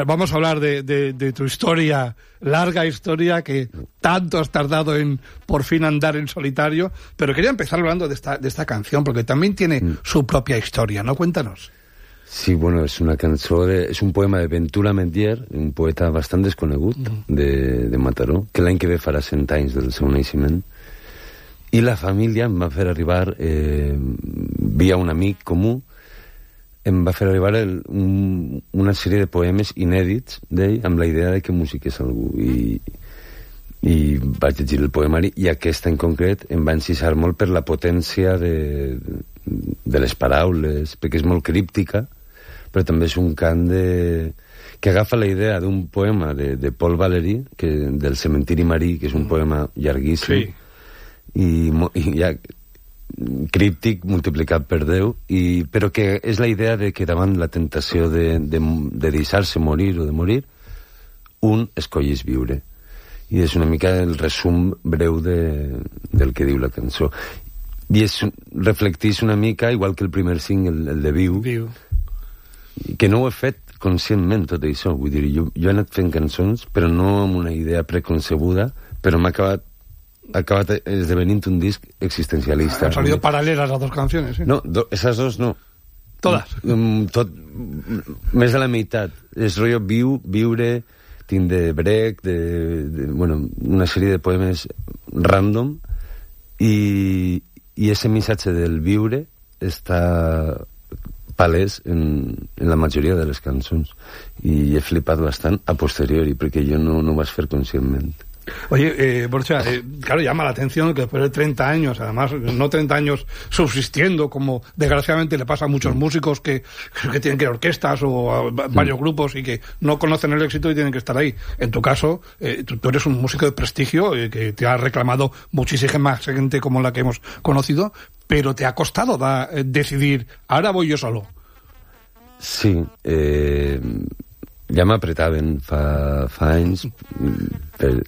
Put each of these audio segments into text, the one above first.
vamos a hablar de tu historia, larga historia, que tanto has tardado en por fin andar en solitario, pero quería empezar hablando de esta canción, porque también tiene su propia historia, ¿no? Cuéntanos. Sí, bueno, és una cançó, és un poema de Ventura Metier, un poeta bastant desconegut de Mataró, que l'any que ve farà 100 anys del seu naixement, i la família em va fer arribar, via un amic comú, em va fer arribar una sèrie de poemes inèdits d'ell, amb la idea de que musiqués algú, i vaig llegir el poemari, i aquesta en concret em va encisar molt per la potència de les paraules, perquè és molt críptica, però també és un cant que agafa la idea d'un poema de Paul Valéry, del Cementiri Marí, que és un poema llarguíssim, i ja críptic multiplicat per 10, però que és la idea de que davant la tentació de deixar-se morir o de morir, un escollís viure. I és una mica el resum breu del que diu la cançó. I reflecteix una mica, igual que el primer single, el de Viu, que no ho he fet conscientment, tot això. Vull dir, jo he anat fent cançons, però no amb una idea preconcebuda, però m'ha acabat esdevenint un disc existencialista. Han salido paralelas las dos canciones, ¿sí? No, esas dos no. Todas? Més de la meitat. És rotllo viure, tinc de Brecht, bueno, una sèrie de poemes random, i ese missatge del viure està palès en la majoria de les cançons, i he flipat bastant a posteriori, perquè jo no ho vaig fer conscientment. Oye, Borja, claro, llama la atención que después de 30 años, además, no 30 años subsistiendo, como desgraciadamente le pasa a muchos músicos que tienen que ir a orquestas o a varios grupos y que no conocen el éxito y tienen que estar ahí. En tu caso, tú eres un músico de prestigio que te ha reclamado muchísima gente como la que hemos conocido, pero te ha costado decidir, ahora voy yo solo. Sí, ja m'apretaven fa anys,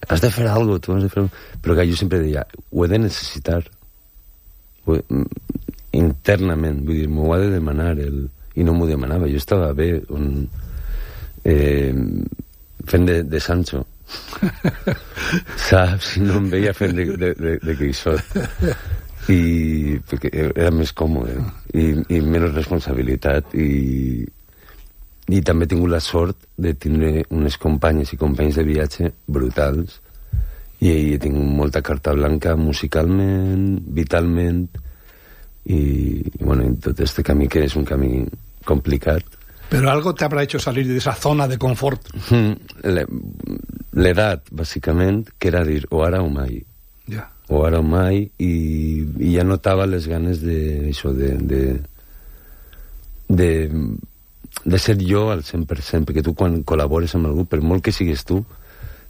has de fer alguna cosa, tu has de fer... Però que jo sempre deia, ho he de necessitar internament, vull dir, m'ho ha de demanar, i no m'ho demanava. Jo estava bé fent de Sancho, saps? No em veia fent de Quixot, i perquè era més còmode i menys responsabilitat, i també he tingut la sort de tindre unes companyes i companys de viatge brutals, i he tingut molta carta blanca musicalment, vitalment, i bueno, en tot este camí, que és un camí complicat. Pero algo te habrá hecho salir de esa zona de confort. L'edat, bàsicament, que era dir o ara o mai. Ja. O ara o mai, i ja notava les ganes de ser jo al 100%, perquè tu quan col·labores amb algú, per molt que sigues tu,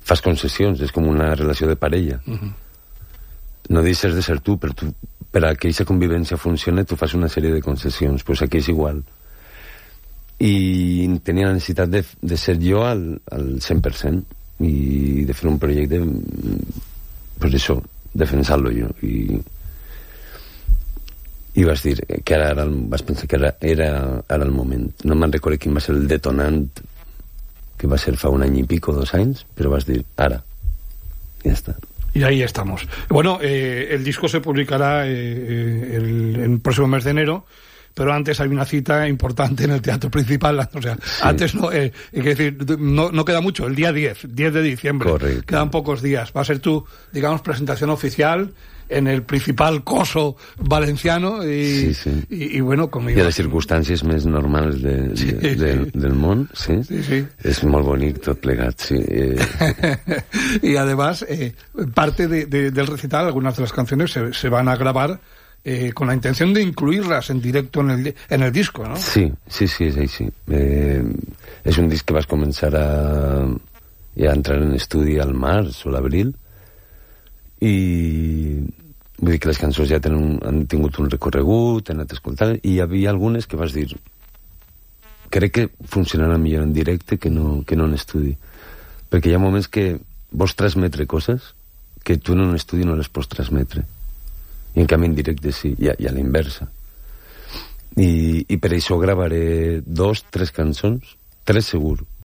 fas concessions, és com una relació de parella. No deixes de ser tu, per a que aquesta convivència funcioni tu fas una sèrie de concessions, doncs aquí és igual. I tenia la necessitat de ser jo al 100% i de fer un projecte, doncs això, defensar-lo jo, i vas dir que vas pensar que era ara el moment. No me'n recordo quin va ser el detonant, que va ser fa un any i pico, 2 anys, però vas dir, ara, ja està. Y ahí estamos. Bueno, el disco se publicará el próximo mes de enero, pero antes hay una cita importante en el Teatro Principal, o sea, sí. Antes no, hay que decir, no queda mucho, el día 10 de diciembre. Correcto. Quedan pocos días. Va a ser tu, digamos, presentación oficial en el principal coso valenciano y, sí. y bueno, conmigo. I a les circumstàncies més normals del món, sí. Sí. És molt bonic tot plegat, sí. Y además, parte del recital, algunas de las canciones se van a grabar con la intención de incluirlas en directo en el disco, ¿no? Sí, és així. És un disc que vas començar a entrar en estudi al març o l'abril, i vull dir que les cançons ja han tingut un recorregut, han anat escoltant, i hi havia algunes que vas dir, crec que funcionarà millor en directe que no en estudi, perquè hi ha moments que vols transmetre coses que tu en un estudi no les pots transmetre, i en canvi en directe sí, i a la inversa. I per això gravaré 2, 3 cançons, 3 segur,